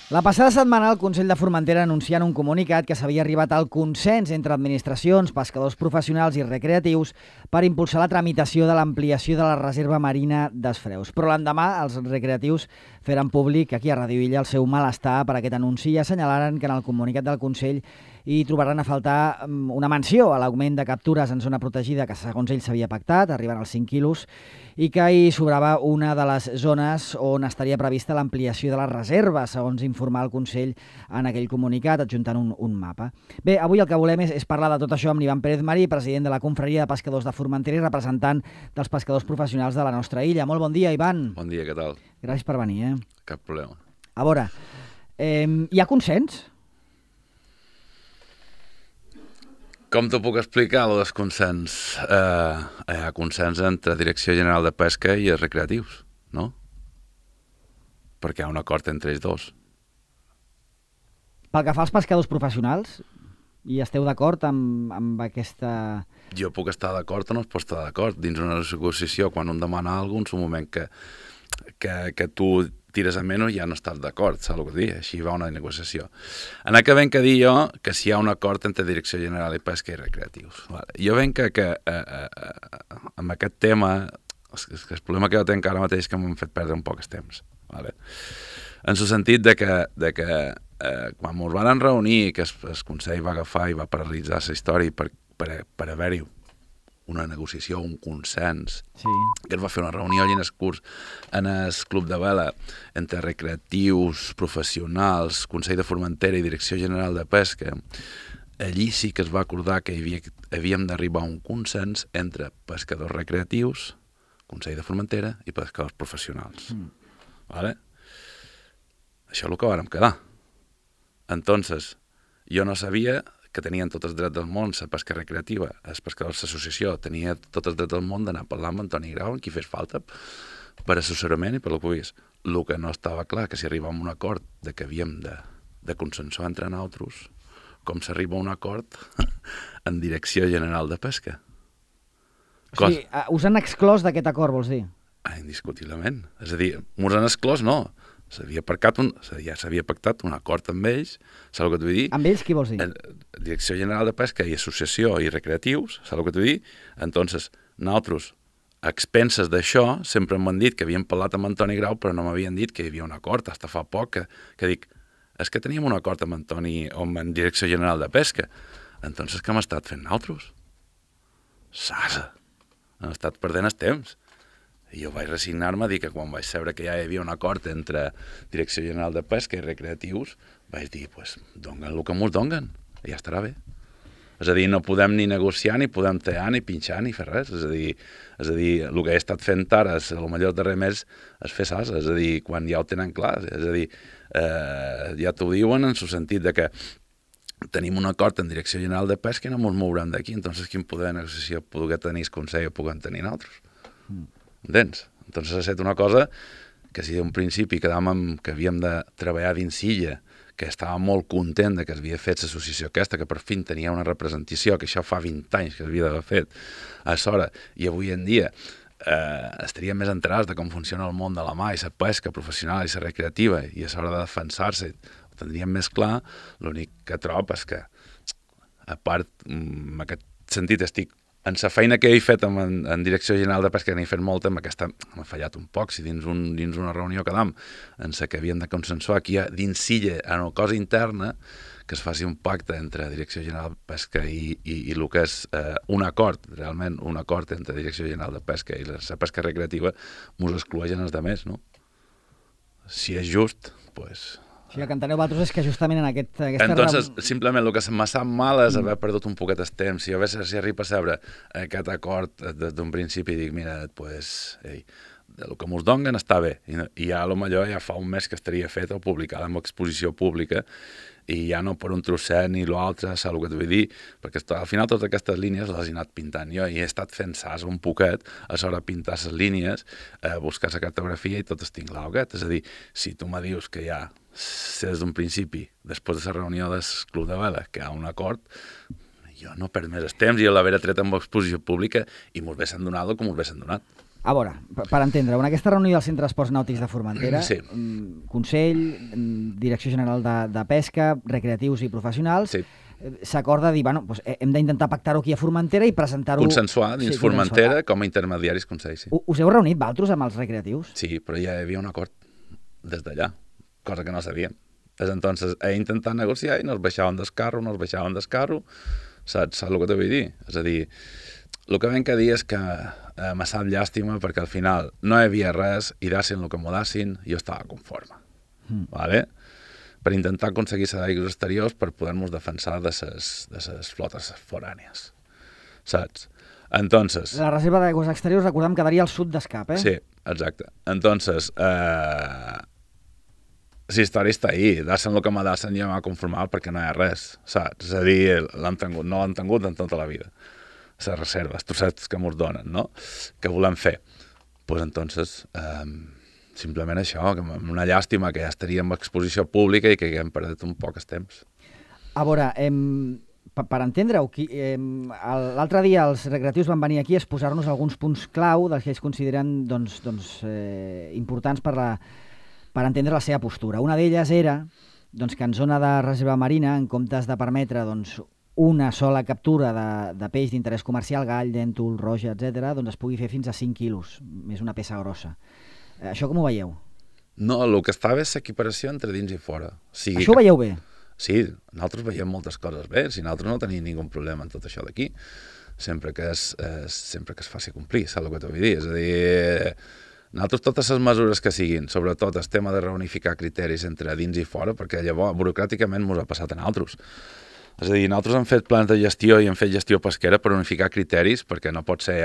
La passada setmana el Consell de Formentera anuncià en un comunicat que s'havia arribat al consens entre administracions, pescadors professionals i recreatius per impulsar la tramitació de l'ampliació de la reserva marina d'Esfreus. Però l'endemà els recreatius feren públic aquí a Ràdio Illa el seu malestar per aquest anunci i assenyalaren que en el comunicat del Consell hi trobaran a faltar una menció a l'augment de captures en zona protegida que segons ells s'havia pactat, arribant als 5 quilos, i que hi sobrava una de les zones on estaria prevista l'ampliació de la reserva, segons informar el Consell en aquell comunicat, adjuntant un mapa. Bé, avui el que volem és parlar de tot això amb l'Ivan Pérez Marí, president de la Confraria de Pescadors de Formentera i representant dels pescadors professionals de la nostra illa. Molt bon dia, Ivan. Bon dia, què tal? Gràcies per venir. Cap problema. A veure, hi ha consens? Com t'ho puc explicar, el desconsens? Hi ha consens entre Direcció General de Pesca i els recreatius, no? Perquè hi ha un acord entre ells dos. Pel que fa als pescadors professionals, i esteu d'acord amb aquesta... Jo puc estar d'acord o no es pot estar d'acord. Dins una negociació, quan un demana alguna cosa, en un moment que tu tires a menys ja no estàs d'acord, saps el que dir? Així va una negociació. En aquest venc a dir jo que si hi ha un acord entre Direcció General de Pesca i recreatius. Vale. Jo venc que amb aquest tema, el problema que jo tinc ara mateix és que m'han fet perdre un poc el temps. Vale. En el sentit de que quan ens van reunir, que el Consell va agafar i va paralitzar la història per haver-hi una negociació, un consens, sí, que es va fer una reunió allà en el curs, en el Club de Vela, entre recreatius, professionals, Consell de Formentera i Direcció General de Pesca. Allí sí que es va acordar que havíem d'arribar a un consens entre pescadors recreatius, Consell de Formentera i pescadors professionals. Vale? Això és el que vàrem quedar. Entonces, jo no sabia que tenien tots els drets del món, la pesca recreativa, els pescadors d'associació, tenia tots els drets del món d'anar a parlar amb Antoni Grau, en qui fes falta, per assessorament i per el que vulguis. El que no estava clar, que si arribàvem a un acord de que havíem de consensuar entre nosaltres, com s'arriba a un acord en Direcció General de Pesca. O sigui, us han exclòs d'aquest acord, vols dir? Indiscutiblement. És a dir, mos han exclòs, no. Ja s'havia pactat un acord amb ells, saps el que t'ho vull dir? Amb ells qui vols dir? Direcció General de Pesca i Associació i Recreatius, saps el que t'ho vull dir? Entonces, nosaltres, a expenses d'això, sempre m'han dit que havien parlat amb Antoni Grau, però no m'havien dit que hi havia un acord, fins fa poc, que dic, és que teníem un acord amb Antoni, o amb Direcció General de Pesca. Entonces, què hem estat fent nosaltres? Sasa! Hem estat perdent el temps. I jo vaig resignar-me a dir que quan vaig saber que ja hi havia un acord entre Direcció General de Pesca i Recreatius, vaig dir, pues, donguen el que mos donguen, i ja estarà bé. És a dir, no podem ni negociar, ni podem tallar, ni pinxar, ni fer res. És a dir, el que he estat fent ara, el millor darrer mes, és fer sasa. És a dir, quan ja ho tenen clar. És a dir, ja t'ho diuen en el sentit de que tenim un acord en Direcció General de Pesca i no ens mourem d'aquí. Entonces, quin poder de negociació pugui tenir el Consell o puguem tenir nosaltres? Entens? Entonces ha estat una cosa que si d'un principi quedàvem que havíem de treballar dins Illa, que estava molt content de que s'havia fet l'associació aquesta, que per fi tenia una representació, que això fa 20 anys que s'havia d'haver fet a Sora, i avui en dia estaríem més enterats de com funciona el món de la mà i la pesca professional i la recreativa, i a l'hora de defensar-se ho tindríem més clar. L'únic que trobo és que, a part, en aquest sentit estic en la feina que he fet en Direcció General de Pesca, que n'he fet molta, aquesta m'ha fallat un poc. Si dins una reunió quedam en la que havíem de consensuar aquí dins Illa, en una cosa interna, que es faci un pacte entre Direcció General de Pesca i el que és un acord, realment un acord entre Direcció General de Pesca i la pesca recreativa, mos excloeixen els altres, no? Si és just, doncs... O sigui, el que enteneu vosaltres és que justament en aquesta... Entonces, simplement, el que m'ha sap mal és haver perdut un poquet el temps. Si arriba a saber aquest acord des d'un principi, dic, mira, pues, el que mos donguen està bé. I ja, potser ja fa un mes que estaria fet o publicat en exposició pública, i ja no per un trosset ni l'altre, saps el que t'ho vull dir? Perquè al final totes aquestes línies les he anat pintant jo, i he estat fent sas un poquet a l'hora de pintar les línies, buscar la cartografia i tot estic glauguet. És a dir, si tu me dius que ja des d'un principi, després de la reunió del Club de Vela, que hi ha un acord, jo no perds més el temps i l'haver tret amb exposició pública i mos haguessin donat el que mos haguessin donat. A veure, per entendre, en aquesta reunió del Centre d'Esports Nàutics de Formentera, Sí. Consell, Direcció General de Pesca, Recreatius i Professionals, Sí. s'acorda dir, bueno, doncs hem d'intentar pactar-ho aquí a Formentera i presentar-ho... Consensuar dins Formentera com a intermediaris Consell, sí. Us heu reunit, vosaltres, amb els recreatius? Sí, però ja hi havia un acord des d'allà, cosa que no sabíem. Des entonces intentat negociar i no es baixaven d'escarro, saps el que t'ho vull dir? És a dir, el que vam que dir és que m'ha sap llàstima perquè al final no hi havia res i dassin el que m'ho dassin, jo estava conforme. Vale? Per intentar aconseguir aigües exteriors per poder-nos defensar de ses flotes forànies. Saps? Entonces... La reserva d'aigües exteriors, recordem, quedaria al sud d'Escap, eh? Sí, exacte. Entonces, la història està ahí. Dassen el que me dassen i ja m'ha conformat perquè no hi ha res, saps? És a dir, no l'han tingut en tota la vida. Les reserves, tu saps que mos donen, no? Què volem fer? Pues entonces, simplement això, que una llàstima que ja estaríem a exposició pública i que haguem perdut un poc el temps. A veure, per entendre-ho, l'altre dia els recreatius van venir aquí a exposar-nos alguns punts clau dels que ells consideren importants per entendre la seva postura. Una d'elles era que en zona de reserva marina, en comptes de permetre una sola captura de peix d'interès comercial, gall, dèntol, roja, etc., es pugui fer fins a 5 quilos, més una peça grossa. Això com ho veieu? No, el que està bé és l'equiparació entre dins i fora. Això ho veieu bé? Sí, nosaltres veiem moltes coses bé, si nosaltres no tenim ningú problema en tot això d'aquí, sempre que es faci complir, saps el que t'ho vull dir? És a dir, nosaltres totes les mesures que siguin, sobretot el tema de reunificar criteris entre dins i fora, perquè llavors burocràticament ens ha passat a nosaltres. És a dir, nosaltres hem fet plans de gestió i hem fet gestió pesquera per unificar criteris, perquè no pot ser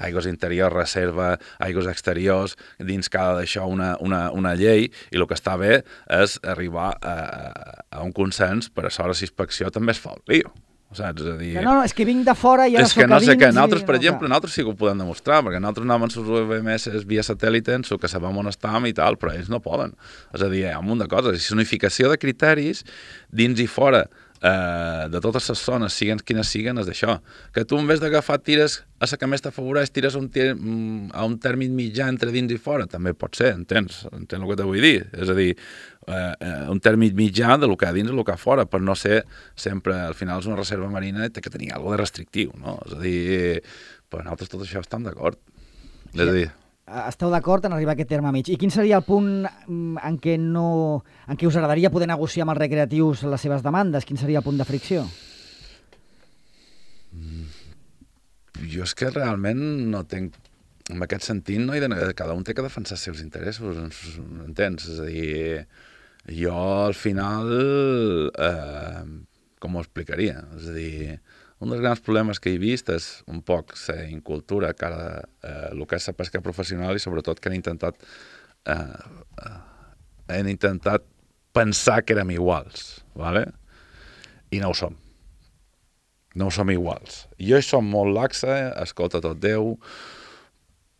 aigües interiors, reserva, aigües exteriors, dins cada d'això una llei, i el que està bé és arribar a un consens per a l'hora d'inspecció també es fa el lío. Saps? És a dir... No, és que vinc de fora i ara soc a dins... És que no sé què, nosaltres, per exemple, nosaltres sí que ho podem demostrar, perquè nosaltres anàvem amb les UVMS via satèl·lit, que sabem on estàvem i tal, però ells no poden. És a dir, hi ha un munt de coses. És unificació de criteris dins i fora de totes les zones, siguen quines siguen, és d'això. Que tu en vez d'agafar tires a la que més t'afavoreix, tires a un tèrmit mitjà entre dins i fora, també pot ser, entens el que te vull dir? És a dir, un tèrmit mitjà de lo que a dins i lo que a fora, per no ser sempre, al final és una reserva marina i té que tenir alguna de restrictiu, no? És a dir, per nosaltres tot això estem d'acord. És a dir... Esteu d'acord en arribar a aquest terme mig. I quin seria el punt en què us agradaria poder negociar amb els recreatius les seves demandes? Quin seria el punt de fricció? Jo és que realment no tenc... En aquest sentit, no cada un té que defensar els seus interessos, entens? És a dir, jo al final... com ho explicaria? És a dir... Un dels grans problemes que he vist és un poc la incultura cara a el que és la pesca professional i sobretot que han intentat pensar que érem iguals, ¿vale? I no ho som. No ho som iguals. Jo som molt laxa, escolta tot Déu,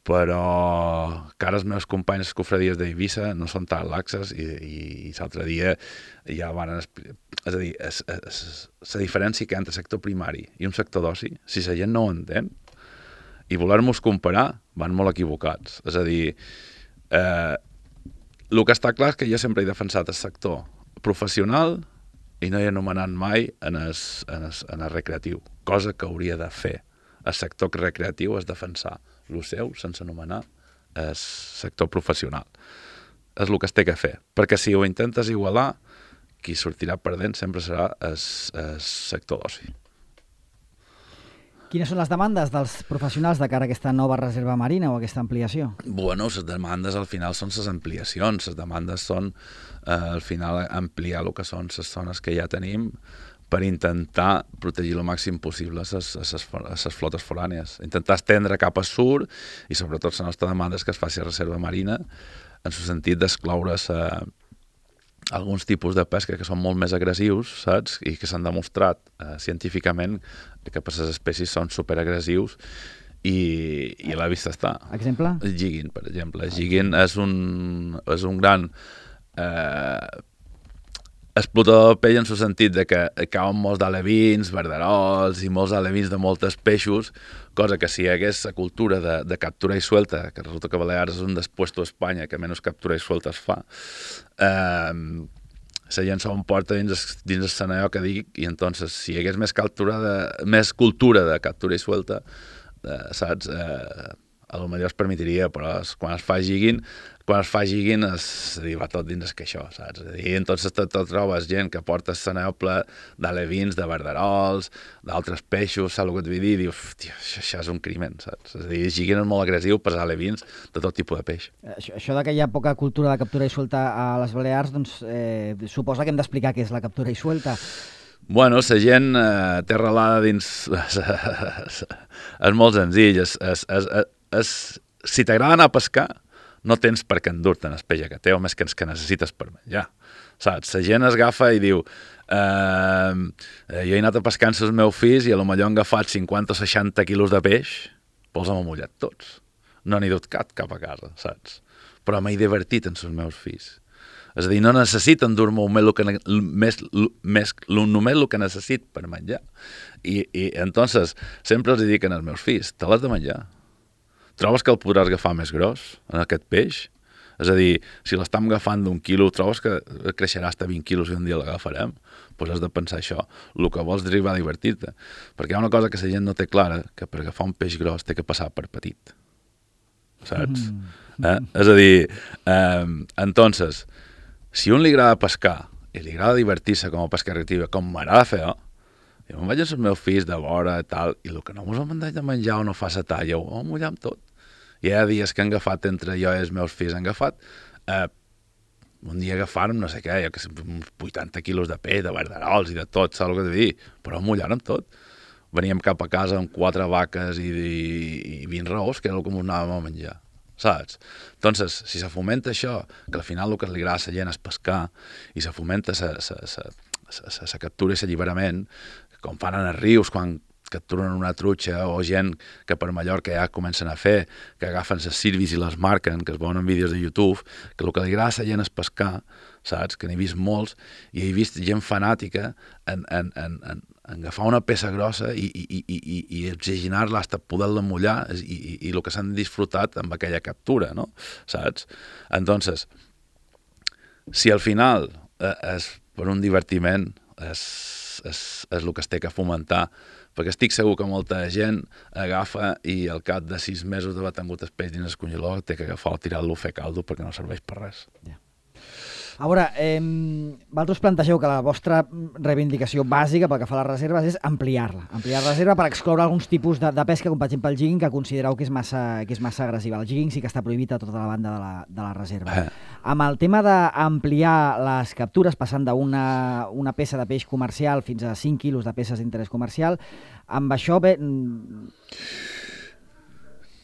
però cara els meus companys escofradies d'Eivissa no són tan laxes i l'altre dia ja van explicar. És a dir, la diferència que hi ha entre sector primari i un sector d'oci, si la gent no ho entén, i voler-nos comparar, van molt equivocats. És a dir, el que està clar és que jo sempre he defensat el sector professional i no he anomenat mai en el recreatiu, cosa que hauria de fer. El sector recreatiu és defensar el seu sense anomenar el sector professional. És el que es té que fer, perquè si ho intentes igualar, qui sortirà perdent sempre serà el sector d'oci. Quines són les demandes dels professionals de cara a aquesta nova reserva marina o aquesta ampliació? Bueno, les demandes al final són les ampliacions. Les demandes són al final ampliar el que són les zones que ja tenim per intentar protegir el màxim possible les flotes forànies. Intentar estendre cap a sud i sobretot la nostra demanda és que es faci reserva marina en el sentit d'excloure alguns tipus de pesca que són molt més agressius, saps? I que s'han demostrat científicament que per les espècies són superagressius i a la vista està. Exemple? El jigging, per exemple. El jigging és un gran explotador de pell en el sentit de que cauen molts d'alevins, verderols i molts alevins de moltes peixos, cosa que si hi hagués la cultura de captura i suelta, que resulta que Balears és un dels puestos a Espanya que menys captura i suelta es fa, la gent s'ho emporta dins el Saneo que dic, i entonces si hi hagués més cultura de captura i suelta, saps? A lo millor es permitiria, però quan es fa jigging va tot dins que això, saps? I entonces te trobes gent que porta el Saneo ple d'alevins, de verderols, d'altres peixos, saps el que et vull dir? I dius, això és un crimen, saps? És a dir, jigging és molt agressiu per alevins de tot tipus de peix. Això de que hi ha poca cultura de captura i suelta a les Balears, doncs suposa que hem d'explicar què és la captura i suelta. Bueno, la gent té arrelada dins... És molt senzill. Si t'agrada anar a pescar, no tens per què endur-te'n el peix que té, o més que que necessites per menjar. Saps? La gent es agafa i diu jo he anat a pescar amb els meus fills i potser han agafat 50 o 60 quilos de peix, però els hem mullat tots. No n'he dut cap a casa, saps? Però m'he divertit amb els meus fills. És a dir, no necessiten dur-me només el que necessit per menjar. I entonces, sempre els dic als meus fills, te l'has de menjar. Trobes que el podràs agafar més gros, en aquest peix? És a dir, si l'estem agafant d'1 quilo, trobes que creixerà fins a 20 quilos i un dia l'agafarem? Doncs has de pensar això. El que vols és arribar a divertir-te. Perquè hi ha una cosa que la gent no té clara, que per agafar un peix gros té que passar per petit. Saps? És a dir, entonces, si a un li agrada pescar i li agrada divertir-se com a pesca recreativa, com m'agrada fer, jo me'n vaig amb els meus fills de vora i tal, i el que no mos hem de menjar o no fa la talla, ho mullem tot. Hi ha dies que han agafat entre jo i els meus fills, han agafat un dia agafàrem, no sé què, jo que sé, 80 quilos de peix, de verderols i de tot, saps el que t'he dit? Però mullàrem tot. Veníem cap a casa amb 4 vaques i 20 raos, que era el que ens anàvem a menjar. Saps? Entonces, si se fomenta això, que al final el que li agrada a la gent és pescar, i se fomenta la captura i l'alliberament, com fan en els rius, quan capturen una trutxa, o gent que per Mallorca ja comencen a fer, que agafen les sirvis i les marquen, que es veuen en vídeos de YouTube, que el que li agrada a la gent és pescar, saps? Que n'he vist molts, i he vist gent fanàtica en agafar una peça grossa i oxigenar-la fins a poder-la mullar i el que s'han disfrutat amb aquella captura, no? Saps? Entonces, si al final és per un divertiment, és el que es té que fomentar, perquè estic segur que molta gent agafa i al cap de 6 mesos d'haver tingut el peix dins el congelador té que agafar o tirar-lo a fer caldo perquè no serveix per res. Ja. A veure, vosaltres plantegeu que la vostra reivindicació bàsica pel que fa a les reserves és ampliar-la. Ampliar la reserva per excloure alguns tipus de pesca, com per exemple el jigging, que considereu que és massa agressiva. El jigging sí que està prohibit a tota la banda de la reserva. Amb el tema d'ampliar les captures, passant d'una peça de peix comercial fins a 5 quilos de peces d'interès comercial, amb això bé...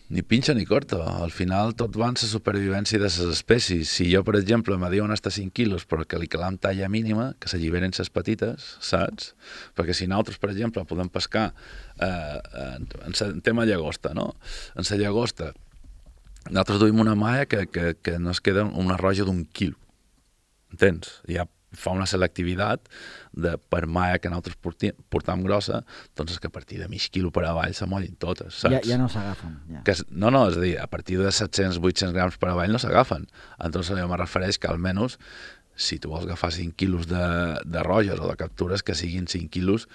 Ni pinxa ni corta. Al final tot va en la supervivència de les espècies. Si jo, per exemple, me diuen hasta 5 quilos però que li calam talla mínima, que s'alliberen les petites, saps? Perquè si nosaltres, per exemple, podem pescar en tema llagosta, no? En la llagosta, nosaltres duim una malla que no es queda una roja d'1 quilo. Entens? Ja fa una selectivitat per malla que nosaltres portam grossa, doncs que a partir de mig quilo per avall s'amollin totes, saps? Ja no s'agafen. Ja. No, és a dir, a partir de 700-800 grams per avall no s'agafen. Entonces jo me refereix que almenys si tu vols agafar 5 quilos de roges o de captures, que siguin 5 quilos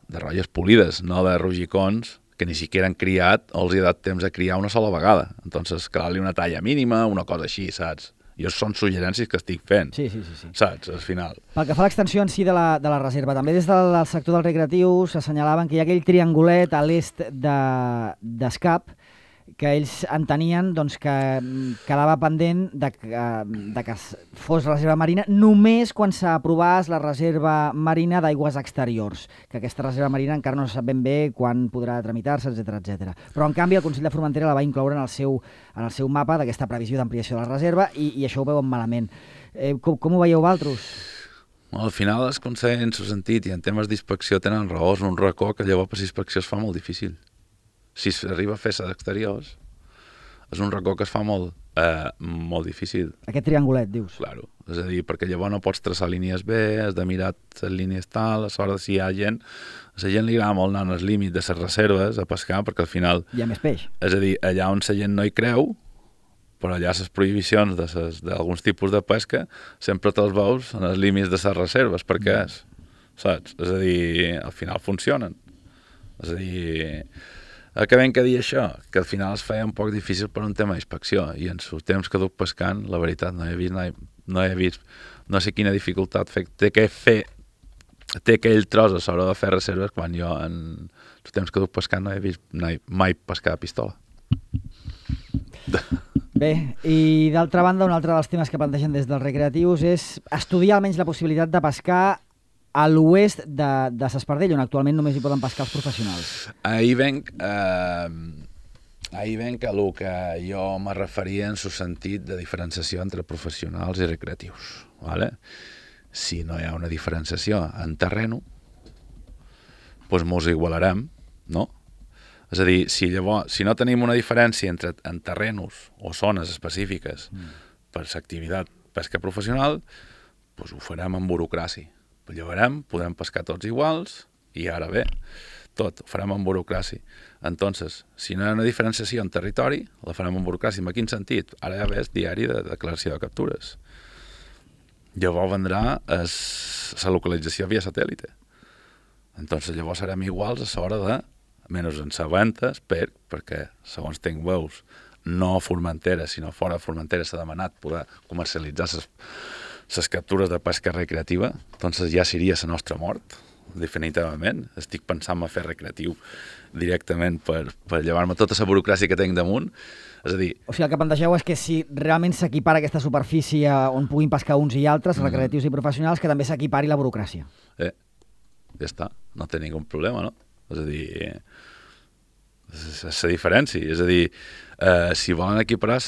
de roges polides, no de rugicons que ni siquiera han criat o els hi ha dat temps a criar una sola vegada. Entonces, calar-li una talla mínima, una cosa així, saps? Jo són suggerències que estic fent, sí. saps, al final. Pel que fa a l'extensió en si de la reserva, també des del sector del recreatiu s'assenyalaven que hi ha aquell triangulet a l'est d'Escap, que ells entenien doncs, que quedava pendent de que fos reserva marina només quan s'aprovés la reserva marina d'aigües exteriors, que aquesta reserva marina encara no se sap ben bé quan podrà tramitar-se, etc. Però, en canvi, el Consell de Formentera la va incloure en el seu mapa d'aquesta previsió d'ampliació de la reserva i això ho veuen malament. Com ho veieu vosaltres? Al final es Consell en el sentit i en temes d'inspecció tenen raó, és un racó que llavors per inspecció es fa molt difícil. Si s'arriba a fer-se d'exteriors, és un racó que es fa molt difícil. Aquest triangulet, dius? Claro. És a dir, perquè llavors no pots traçar línies bé, has de mirar les línies tal, a sobre si hi ha gent... A la gent li agrada molt anar als límits de les reserves a pescar, perquè al final... Hi ha més peix. És a dir, allà on la gent no hi creu, però allà les prohibicions d'alguns tipus de pesca sempre te'ls veus en els límits de les reserves, perquè és, saps? És a dir, al final funcionen. És a dir, acabem que dir això, que al final es feia un poc difícil per un tema d'inspecció, i en el temps que duc pescant, la veritat, no he vist, no sé quina dificultat té aquell tros a sobre de fer reserves quan jo en el temps que duc pescant no he vist mai pescar a pistola. Bé, i d'altra banda, un altre dels temes que plantegen des dels recreatius és estudiar almenys la possibilitat de pescar a l'oest de S'Espardell, on actualment només hi poden pescar els professionals. Ahir venc a el que jo me referia en el sentit de diferenciació entre professionals i recreatius. ¿Vale? Si no hi ha una diferenciació en terreno, doncs mos igualarem, no? És a dir, si no tenim una diferència en terrenos o zones específiques per l'activitat pesca professional, doncs ho farem amb burocràcia. Llevarem, podrem pescar tots iguals i ara bé, tot, ho farem amb burocràcia. Entonces, si no hi ha una diferenciació en territori, la farem amb burocràcia. En quin sentit? Ara ja ves diari de declaració de captures. Llavors vendrà la localització via satèl·lite. Entonces llavors serem iguals a l'hora de menys en sabentes, perquè, segons tenc veus, no a Formentera, sinó fora de Formentera s'ha demanat poder comercialitzar les captures de pesca recreativa, entonces ja seria la nostra mort, definitivament. Estic pensant en fer recreatiu directament per llevar-me tota la burocràcia que tinc damunt. És a dir... O sigui, el que plantegeu és que si realment s'equipara aquesta superfície on puguin pescar uns i altres, recreatius i professionals, que també s'equipari la burocràcia. Ja està, no té ningú problema, no? És a dir, és la diferència. És a dir, si volen equiparar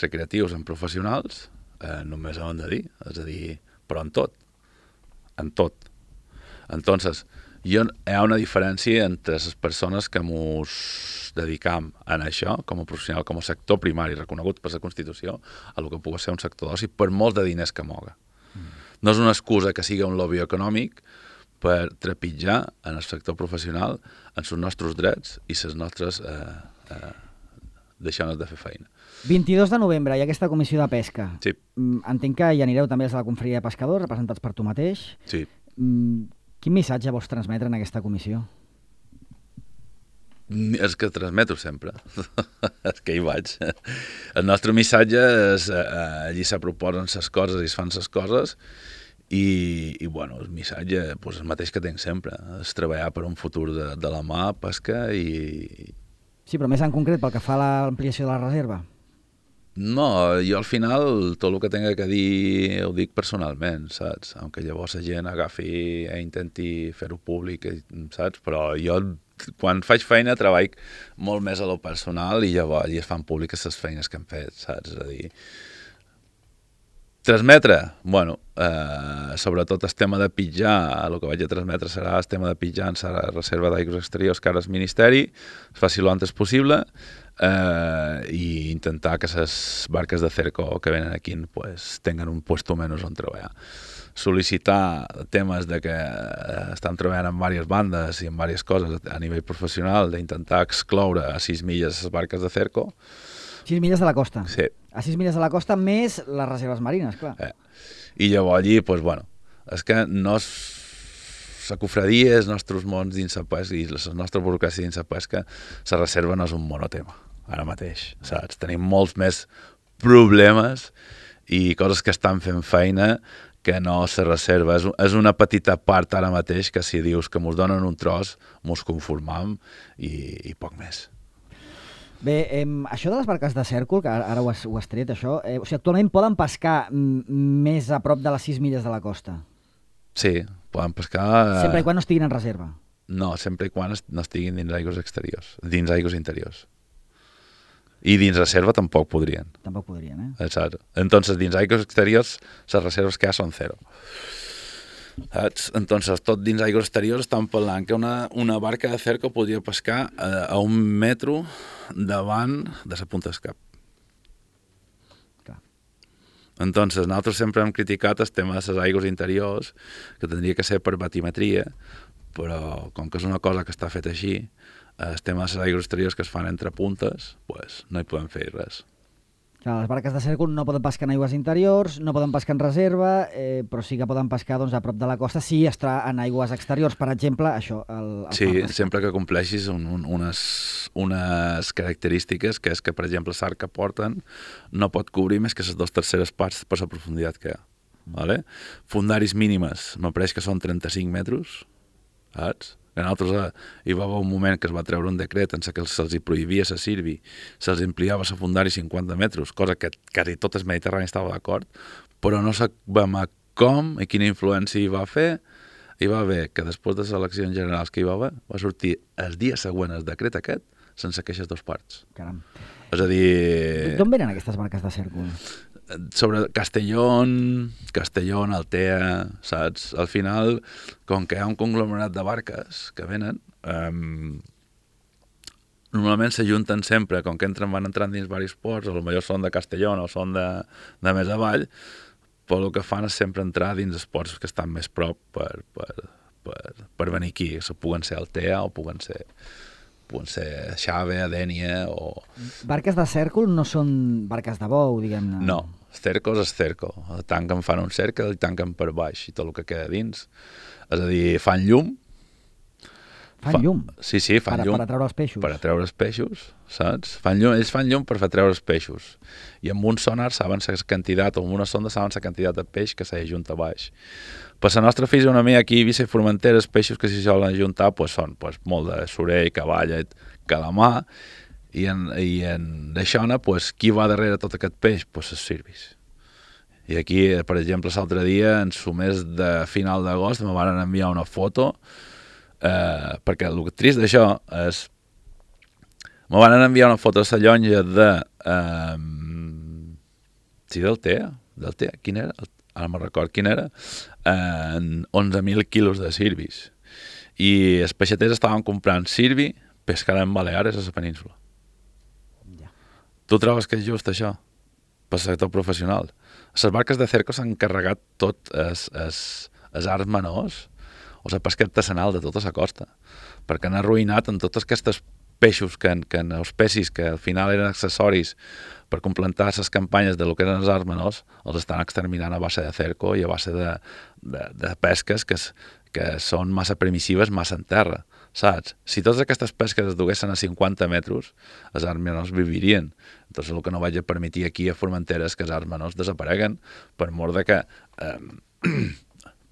recreatius amb professionals, només ho han de dir. És a dir, però en tot. En tot. Entonces, hi ha una diferència entre les persones que mos dedicam a això, com a professional, com a sector primari reconegut per la Constitució, a el que pugui ser un sector d'oci, per molt de diners que moga. No és una excusa que sigui un lobby econòmic per trepitjar en el sector professional en els nostres drets i les nostres deixar-nos de fer feina. 22 de novembre hi ha aquesta comissió de pesca. Sí. Entenc que hi anireu també des de la Confraria de Pescadors, representats per tu mateix. Sí. Quin missatge vols transmetre en aquesta comissió? És que transmeto sempre. És que hi vaig. El nostre missatge és allí se proposen les coses i es fan les coses i bueno, el missatge és el mateix que tinc sempre. És treballar per un futur de la mà, pesca i... Sí, però més en concret pel que fa a l'ampliació de la reserva. No, jo al final tot el que tinc que dir ho dic personalment, saps? Aunque llavors la gent agafi i intenti fer-ho públic, saps? Però jo quan faig feina treballo molt més a lo personal i llavors allí es fan públiques les feines que hem fet, saps? És a dir, transmetre, bueno, sobretot el tema de pitjar, el que vaig a transmetre serà el tema de pitjar en la reserva d'aigües exteriors que ara és Ministeri, es faci lo antes possible i intentar que les barques de cerco que venen aquí pues, tinguen un puesto menys on treballar. Sol·licitar temes de que estan treballant en diverses bandes i en diverses coses a nivell professional, d'intentar excloure a 6 milles les barques de cerco. 6 milles de la costa? Sí. A 6 milles de la costa més les reserves marines, clar. I llavors allí, doncs, bueno, és que no és... La cofradia, els nostres mons dins la pesca i la nostra burocràcia dins la pesca, la reserva no és un monotema, ara mateix, saps? Tenim molts més problemes i coses que estan fent feina que no se reserva. És una petita part ara mateix que si dius que mos donen un tros, mos conformam i poc més. Bé, això de les barques de cèrcol, que ara ho has tret, això, o sigui, actualment poden pescar més a prop de les 6 milles de la costa? Sí, poden pescar... Sempre i quan no estiguin en reserva? No, sempre i quan no estiguin dins aigües exteriors, dins aigües interiors. I dins reserva tampoc podrien. Tampoc podrien, eh? Exacte. Entonces, dins aigües exteriors, les reserves que hi ha són 0. Entonces, tot dins aigües exteriors estan parlant que una barca de cerco podria pescar a 1 metro davant de la punta del cap. Clar. Entonces, nosaltres sempre hem criticat el tema de les aigües interiors, que tindria que ser per batimetria, però com que és una cosa que està feta així, el tema de les aigües exteriors que es fan entre puntes, pues, no hi podem fer res. Clar, les barques de cèrcol no poden pescar en aigües interiors, no poden pescar en reserva, però sí que poden pescar doncs, a prop de la costa si està en aigües exteriors. Per exemple, això... Sí, sempre que compleixis unes característiques, que és que, per exemple, l'arc que porten no pot cobrir més que les 2/3 parts per la profunditat que hi ha. Vale? Fundaris mínimes, me pareix que són 35 metres, saps? Que nosaltres hi va haver un moment que es va treure un decret en què se'ls prohibia la Sirvi, se'ls ampliava la fundari 50 metres, cosa que quasi tot el Mediterrani estava d'acord, però no sabem com i quina influència hi va fer. Hi va haver que després de les eleccions generals que hi va haver, va sortir el dia següent el decret aquest sense queixes dos parts. Caram. És a dir... D'on venen aquestes barques de cèrcol? Sobre Castellón, Altea, saps? Al final, com que hi ha un conglomerat de barques que venen, normalment s'ajunten sempre, com que van entrant dins diversos ports, o potser són de Castellón o són de més avall, però el que fan és sempre entrar dins els ports que estan més prop per venir aquí. Puguen ser Altea o puguen ser Xave, Dènia o... Barques de cèrcol no són barques de bou, diguem-ne. No, cerco és cerco. Tanquen, fan un cercle i tanquen per baix i tot el que queda dins. És a dir, fan llum. Fan llum? Sí, fan llum. Per atreure els peixos. Per atreure els peixos, saps? Ells fan llum per atreure els peixos. I amb un sonar saben la quantitat, o amb una sonda saben la quantitat de peix que s'ha ajuntat a baix. Per la nostra fisonomia aquí a Eivissa i Formentera, els peixos que s'hi solen ajuntar són molt de sorell, cavalla, calamar, i en Deixona, qui va darrere tot aquest peix? Els Sirvis. I aquí, per exemple, l'altre dia, en el mes de final d'agost, me van enviar una foto, perquè el trist d'això és... Me van enviar una foto de la llonja de... Sí, del TEA? Quin era? Ara no me'n record quin era, 11.000 quilos de sirvis. I els peixaters estaven comprant sirvi pescada en Baleares a la península. Ja. Tu trobes que és just això? Per sector professional. Les barques de cerco s'han carregat tot els arts menors o la pesca artesanal de tota la costa, perquè han arruïnat en tots aquests peixos, els pecis que al final eren accessoris per complementar les campanyes de lo que eren els arts menors, els estan exterminant a base de cerco i a base de pesques que són massa permissives, massa en terra, saps? Si totes aquestes pesques es duguessin a 50 metres, els arts menors vivirien. Entonces el que no vaig a permetre aquí a Formentera és que els arts menors desapareguen per mort de que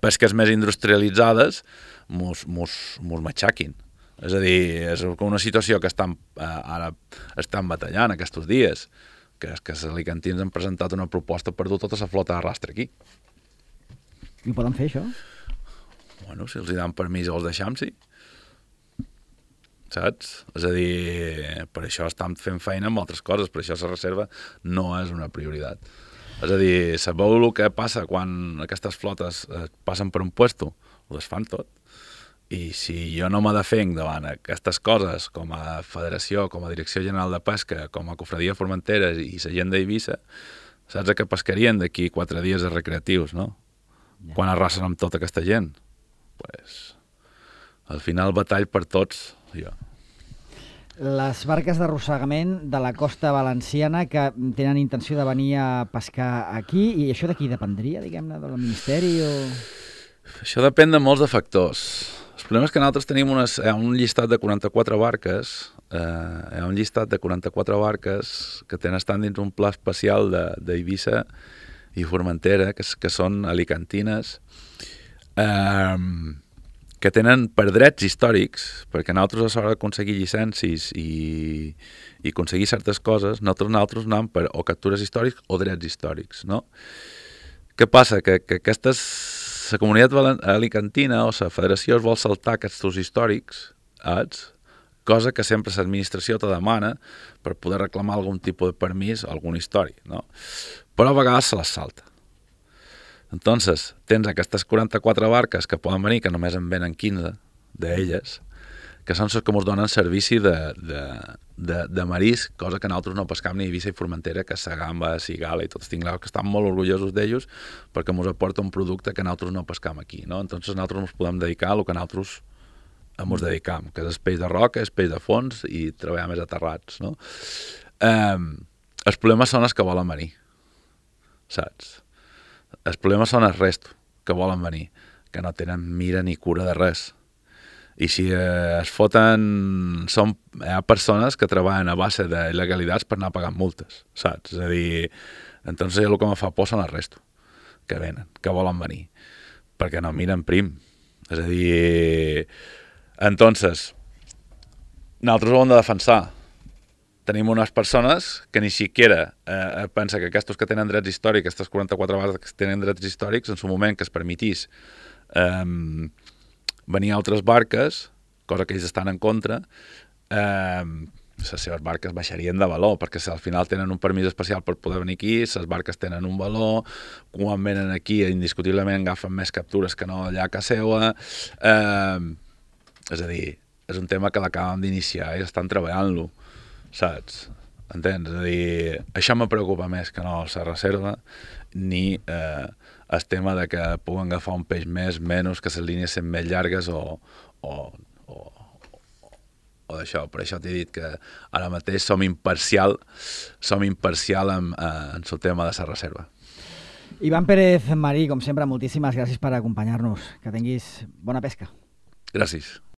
pesques més industrialitzades mos matxaquin. És a dir, és una situació que ara estan batallant aquests dies, que és que els alicantins han presentat una proposta per dur tota la flota d'arrastre aquí. I ho poden fer, això? Bueno, si els dan permís els deixam, sí. Saps? És a dir, per això estan fent feina amb altres coses, per això la reserva no és una prioritat. És a dir, sabeu el que passa quan aquestes flotes passen per un puesto? Ho desfan tot. I si jo no me defenc davant aquestes coses com a federació, com a direcció general de pesca, com a cofradia Formentera i la gent d'Eivissa, saps que pescarien d'aquí 4 dies de recreatius, no? Ja. Quan arrasen amb tota aquesta gent? Pues, al final batall per tots, jo. Les barques d'arrossegament de la costa valenciana que tenen intenció de venir a pescar aquí, i això d'aquí dependria, diguem-ne, del Ministeri o...? Això depèn de molts de factors. El problema és que nosaltres tenim un llistat de 44 barques, hi ha un llistat de 44 barques que estan dins un pla especial d'Eivissa i Formentera, que són alicantines, que tenen per drets històrics, perquè nosaltres a l'hora d'aconseguir llicències i aconseguir certes coses, nosaltres anem per o captures històrics o drets històrics, no? Què passa? Que la comunitat alicantina o la federació es vol saltar aquests històrics, cosa que sempre l'administració te demana per poder reclamar algun tipus de permís o algun històric, no? Però a vegades se les salta. Entonces, tens aquestes 44 barques que poden venir, que només en venen 15 d'elles, que són les que ens donen servici de marisc, cosa que nosaltres no pescam ni a Eivissa i Formentera, que és la gamba, la cigala i tots tingleu, que estan molt orgullosos d'ells perquè ens aporta un producte que nosaltres no pescam aquí, no? Entonces nosaltres ens podem dedicar a lo que nosaltres ens dedicam, que és el peix de roca, el peix de fons i treballar més aterrats, no? Els problemes són els que volen venir, saps? Els problemes són els restos que volen venir, que no tenen mira ni cura de res. I si es foten... Hi ha persones que treballen a base d'il·legalitats per anar pagant multes, saps? És a dir, entonces el que em fa por són els restos que venen, que volen venir, perquè no miren prim. És a dir... Entonces, nosaltres ho hem de defensar. Tenim unes persones que ni siquiera pensa que aquests que tenen drets històrics, aquestes 44 vegades que tenen drets històrics, en su moment que es permetís venir altres barques, cosa que ells estan en contra, les seves barques baixarien de valor, perquè si al final tenen un permís especial per poder venir aquí, les barques tenen un valor, quan venen aquí indiscutiblement agafen més captures que no allà a casa seva, és a dir, és un tema que l'acabem d'iniciar i estan treballant-lo, saps? Entens? És a dir, això me preocupa més que no la reserva, ni el tema de que puguen agafar un peix més, menys, que les línies siguin més llargues o d'això. Per això t'he dit que ara mateix som imparcial en el tema de la reserva. Ivan Pérez Marí, com sempre, moltíssimes gràcies per acompanyar-nos. Que tinguis bona pesca. Gràcies.